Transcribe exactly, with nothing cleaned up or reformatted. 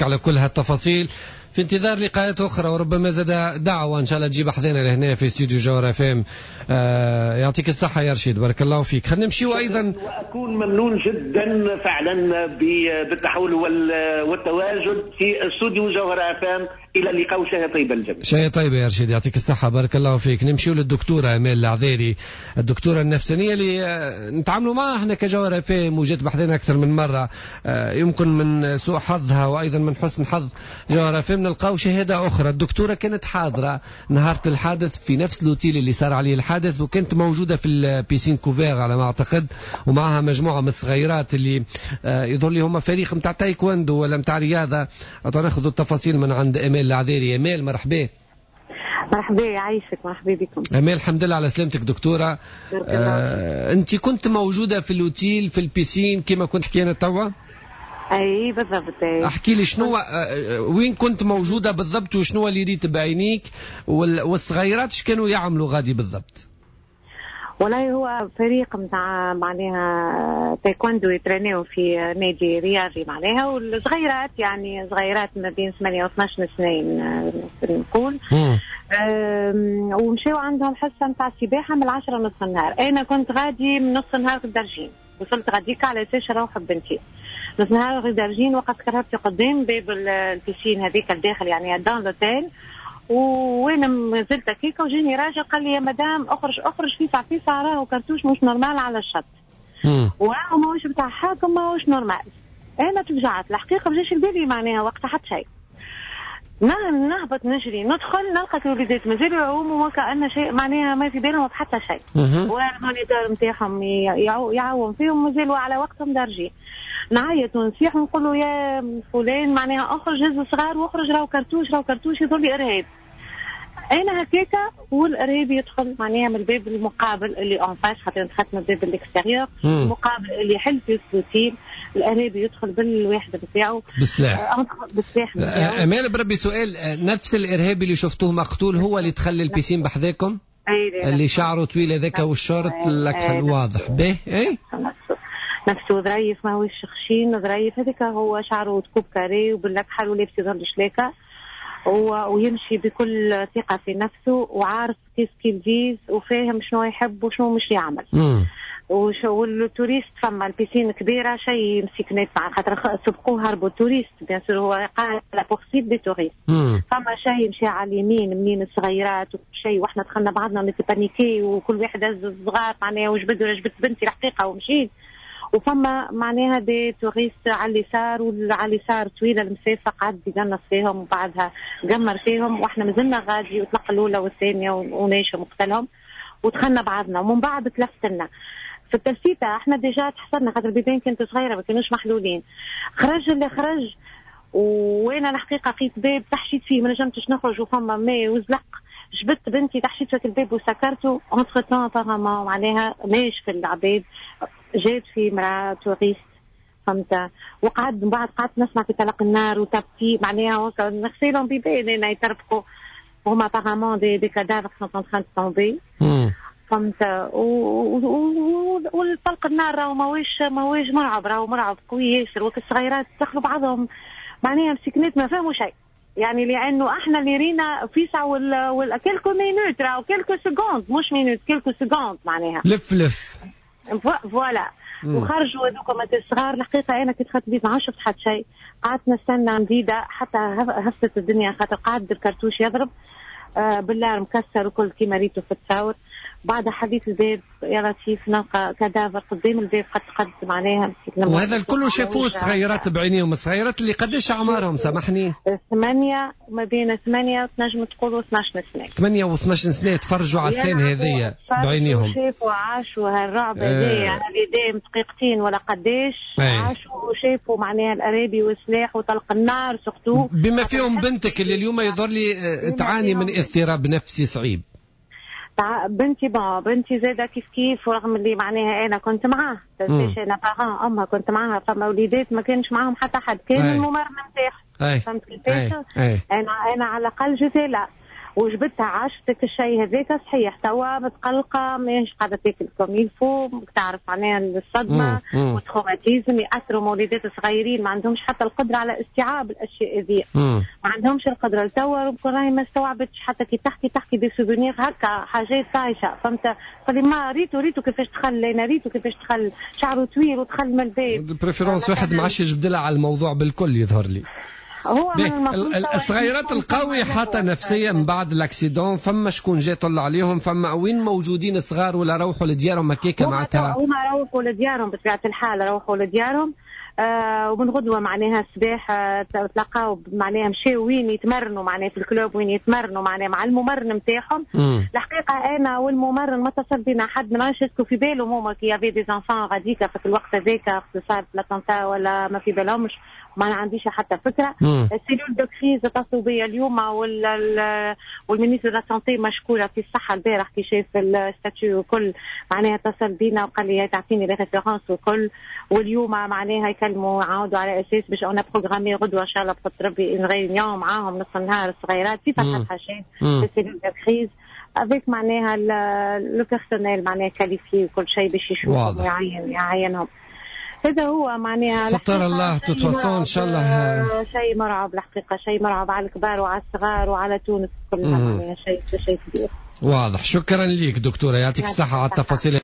على كل هالتفاصيل، في انتظار لقاءات اخرى وربما زاد دعوه ان شاء الله تجيب حذانا لهنا في استوديو جوهرة اف ام. آه يعطيك الصحة يا رشيد، بارك الله فيك. خلينا نمشيو ايضا، واكون ممنون جدا فعلا بالتحول والتواجد في استوديو جوهرة اف ام. الى اللقاء وشهية طيبة للجميع. شهية طيبة يا رشيد، يعطيك الصحة بارك الله فيك. نمشيو للدكتوره امال العذيري، الدكتورة النفسانيه اللي آه، نتعاملوا معها احنا كجوهره اف ام وجات بحذنا اكثر من مره. آه، يمكن من سوء حظها وايضا من حسن حظ جوهرة اف ام نلقاو شهادة اخرى. الدكتورة كانت حاضره نهار الحادث في نفس l'hôtel اللي صار عليه الحادث، وكانت موجودة في ال piscine couverte على ما اعتقد، ومعها مجموعة من الصغيرات اللي آه، يظهر لي هما فريق نتاع تايكوندو ولا نتاع رياضه. ناخذ التفاصيل من عند امال العذيري. امال مرحبا. مرحبا، يعيشك، مرحبا بكم. امال الحمد لله على سلامتك دكتوره. آه، انت كنت موجودة في l'hôtel في ال piscine كما كنت حكينا توا؟ اي بالضبط. احكي لي شنو آه، آه، وين كنت موجودة بالضبط وشنو اللي ريت بعينيك، والصغيرات ايش كانوا يعملوا غادي بالضبط؟ والله هو فريق نتاع معناها تايكوندو يترينيو في نادي رياضي معناها، والصغيرات يعني صغيرات ما بين ثمانية و اثناش سنة نقول، ومشاو عندهم حصة نتاع سباحة من العشرة نص النهار. انا كنت غادي من نص النهار في الدرجين، وصلت غاديك على اساس نروح ببنتي نص نهار غير درجين. وقفت كرهبتي قدام باب ال piscine هذيك الداخل يعني dans l'hôtel، وانا مازلت هكاكا وجاني راجل قال لي يا مدام اخرج اخرج فيسع فيسع، راهو كرتوش مش normal على الشط، وراهو ماهوش بتاع حاكم ماهوش normal. انا تفجعت الحقيقه، ما جاش لبالي معناها وقت حتى شيء. نهبط نجري ندخل نلقى الوليدات مازالوا يعوموا وكأن شيء معناها ما في بالهم بحتى شيء، وال moniteur نتاعهم يعوم فيهم، مازالوا على وقتهم درجين. نعيط ونصيح ونقول له يا فلان معناها اخرج هز صغار واخرج، راهو كرتوش راهو كرتوش، يظهر لي ارهاب. انا هكاكا والارهابي يدخل معناها من الباب المقابل اللي en face، خاطر دخلت من الباب ال extérieur المقابل اللي يحل في l'hôtel. الارهابي يدخل بالواحده بتاعه. بالسلاح. آه، بالسلاح. امال بربي سؤال، نفس الارهابي اللي شفتوه مقتول هو اللي دخل ال piscine بحذاكم؟ اللي شعره طويل هذاك والشورت الاكحل واضح به؟ اي نفسه ظريف، ماهوش خشين، ظريف هذاك هو، شعره coupe carré وبالاكحل ولابس يظهر شلاكه ويمشي بكل ثقة في نفسه وعارف qu'est-ce qu'il vise وفاهم شنو يحب وشنو مش يعمل. وال touristes فما ال piscine كبيرة شيء مسكنات مع خاطر سبقوه هربوا ال touristes، bien sûr هو قال la poursuite des touristes. فما شيء مشى على اليمين منين الصغيرات وشيء، واحنا دخلنا بعضنا on paniquait وكل واحد هز الصغار معناها وجبد جبدت بنتي الحقيقة ومشيت. وفما معناها des touristes على اليسار، وعلى اليسار طويلة المسافه، قعد يقنص فيهم وبعدها قمر فيهم، واحنا مازلنا غادي وطلق الاولى والثانية وناشم وقتلهم ودخلنا بعضنا. ومن بعد تلفتنا في التلفيته، احنا déjà تحصرنا خاطر البيبان كانت صغيرة ما كانوش محلولين. خرج اللي خرج، وانا الحقيقة لقيت باب تحشيت فيه ما نجمتش نخرج وفما ماء وزلق. جبدت بنتي تحشيت في الباب وسكرته. entre-temps apparemment معناها ماش في العباد جات في مراة touriste فهمت، وقعد من بعد قعدت نسمع في طلق النار وتبكي معناها نغسلهم بيبان انا يتربقوا هما apparemment des des cadavres sont en train de tomber فهمت. والطلق النار راهو ماهوش ماهوش مرعب، راهو مرعب قوي ياسر، وك الصغيرات دخلوا بعضهم معناها مسكنات ما فهموا شيء يعني، لانه احنا اللي رينا فيسع وال وال quelques minutes راهو quelques secondes مش minutes، quelques secondes معناها. لف لف. voilà. وخرجوا هذوك الصغار. الحقيقة انا كي دخلت البيت ما شفت حتى شيء، قعدت نستنى مديدة حتى هفتت الدنيا خاطر قعد الكرتوش يضرب آه بالله مكسر وكل كيما ريتو في التصاور. بعد حليت الباب يا لطيف نلقى cadavre قدام الباب قد قد معناها. وهذا الكل شافوه الصغيرات بعينيهم؟ الصغيرات اللي قداش اعمارهم سامحني؟ ثمانية، ما بين ثمانية تنجم تقولوا اثناش سنة. ثمانية و اثناش سنة تفرجوا على ال scène هذيا بعينيهم. شافوا عاشوا هالرعب هذايا اللي دام دقيقتين ولا قداش، عاشوا وشافوا معناها الارهابي والسلاح وطلق النار surtout. بما فيهم بنتك اللي اليوم يظهر لي تعاني من اضطراب نفسي صعيب. بنتي bon بنتي زاده كيف كيف، ورغم اللي معناها انا كنت معاه تنساش انا parent امها كنت معاها، فما وليدات ما كانش معاهم حتى حد، كان الممرن نتاعهم فهمت كيفاش؟ انا انا على الاقل j'étais là. وجبتها عاشتك الشيء هذاك صحيح توا متقلقه، ماهيش قاعدة تاكل comme il faut، تعرف معناها الصدمة وال traumatisme ياثروا. مولدات صغيرين ما عندهمش حتى القدرة على استيعاب الاشياء هذه، ما عندهمش القدرة لتوا، ربما راهي ما استوعبتش. حتى كي تحكي تحكي des souvenirs هكا حاجات طايشه، فهمت؟ قال ما ريتو ريتو كيفاش دخل، انا ريتو كيفاش دخل، شعره طويل ودخل من الباب. préférence واحد ما عادش يجبد لها على الموضوع بالكل يظهر لي. هو الصغيرات القوي حتى نفسيا من بعد l'accident، فما شكون جاي طلع عليهم؟ فما وين موجودين الصغار ولا روحوا لديارهم هكاك معناتها؟ هما روحوا لديارهم بطبيعة الحال، روحوا لديارهم. آه ومن غدوه معناها الصباح آه تلقاو معناها مشاو وين يتمرنوا، معناها في ال club وين يتمرنوا معناها مع الممرن نتاعهم. الحقيقة انا والممرن ما اتصل بنا حد، ما نعرفش est-ce que في بالهم هما qu'il y avait des enfants غاديكا في الوقت هذاك صار l'attentat ولا ما في بالهمش، ما عنديش حتى فكره. ال cellule de crise اتصلوا بيا اليوم، وال وال ministre de la santé مشكورة في الصحة البارح كي شاف ال statut وكل معناها اتصل بينا وقال لي تعطيني les références وكل. واليوم معناها يكلموا عاودوا على اساس باش on a programmé غدوه ان شاء الله بقدر ربي une réunion معاهم نص النهار، الصغيرات في فتحه حشاد في cellule de crise avec معناها le personnel معناها qualifié وكل شيء باش يشوفهم ويعين يعينهم. هذا هو معناها. ستر الله de toute façon ان شاء الله. شيء مرعب الحقيقه، شيء مرعب على الكبار وعلى الصغار وعلى تونس كلها، معناها شيء شيء كبير. واضح. شكرا لك دكتوره، يعطيك الصحة على التفاصيل.